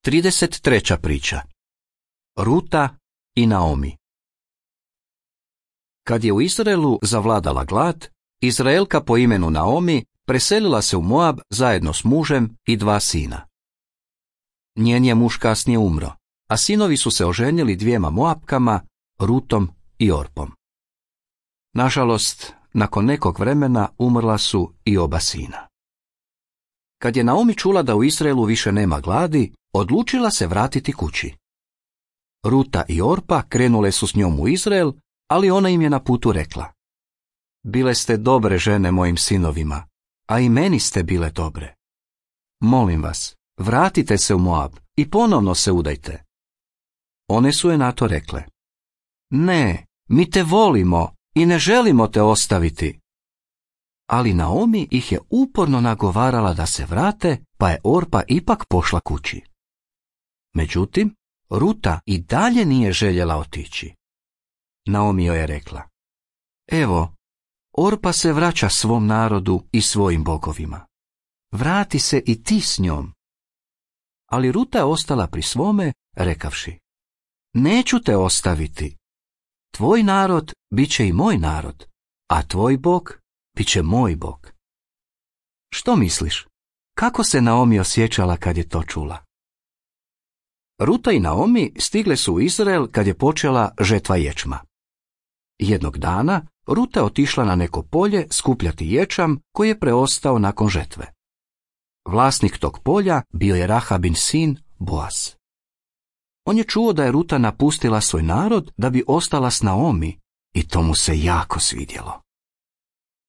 33. priča. Ruta i Naomi. Kad je u Izraelu zavladala glad, Izraelka po imenu Naomi preselila se u Moab zajedno s mužem i 2 sina. Njen je muž kasnije umro, a sinovi su se oženili 2 Moapkama, Rutom i Orpom. Nažalost, nakon nekog vremena umrla su i oba sina. Kad je Naomi čula da u Izraelu više nema gladi, odlučila se vratiti kući. Ruta i Orpa krenule su s njom u Izrael, ali ona im je na putu rekla: Bile ste dobre žene mojim sinovima, a i meni ste bile dobre. Molim vas, vratite se u Moab i ponovno se udajte. One su je na to rekle: Ne, mi te volimo i ne želimo te ostaviti. Ali Naomi ih je uporno nagovarala da se vrate, pa je Orpa ipak pošla kući. Međutim, Ruta i dalje nije željela otići. Naomi joj je rekla: Evo, Orpa se vraća svom narodu i svojim bogovima. Vrati se i ti s njom. Ali Ruta je ostala pri svome, rekavši: Neću te ostaviti. Tvoj narod bit će i moj narod, a tvoj bog bit će moj bog. Što misliš? Kako se Naomi osjećala kad je to čula? Ruta i Naomi stigle su u Izrael kad je počela žetva ječma. Jednog dana Ruta je otišla na neko polje skupljati ječam koji je preostao nakon žetve. Vlasnik tog polja bio je Rahabin sin Boaz. On je čuo da je Ruta napustila svoj narod da bi ostala s Naomi i to mu se jako svidjelo.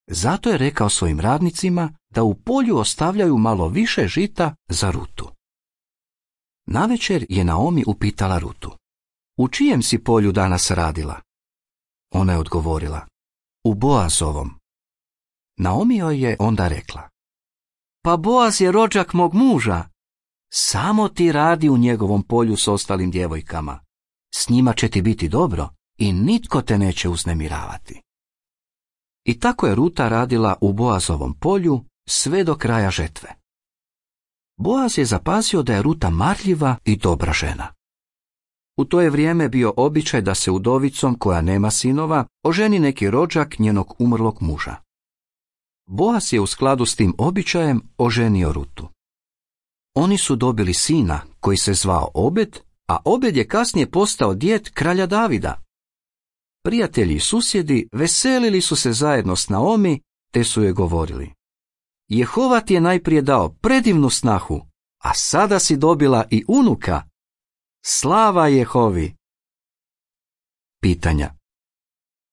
Zato je rekao svojim radnicima da u polju ostavljaju malo više žita za Rutu. Navečer je Naomi upitala Rutu: U čijem si polju danas radila? Ona je odgovorila: U Boazovom. Naomi joj je onda rekla: Pa Boaz je rođak mog muža. Samo ti radi u njegovom polju s ostalim djevojkama. S njima će ti biti dobro i nitko te neće uznemiravati. I tako je Ruta radila u Boazovom polju sve do kraja žetve. Boaz je zapazio da je Ruta marljiva i dobra žena. U to je vrijeme bio običaj da se udovicom koja nema sinova oženi neki rođak njenog umrlog muža. Boaz je u skladu s tim običajem oženio Rutu. Oni su dobili sina koji se zvao Obed, a Obed je kasnije postao djed kralja Davida. Prijatelji i susjedi veselili su se zajedno s Naomi, te su joj govorili: Jehova ti je najprije dao predivnu snahu, a sada si dobila i unuka. Slava Jehovi! Pitanja.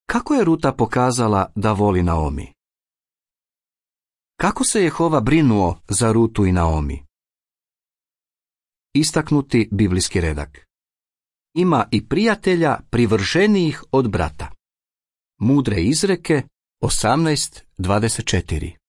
Kako je Ruta pokazala da voli Naomi? Kako se Jehova brinuo za Rutu i Naomi? Istaknuti biblijski redak. Ima i prijatelja privrženijih od brata. Mudre izreke 18:24.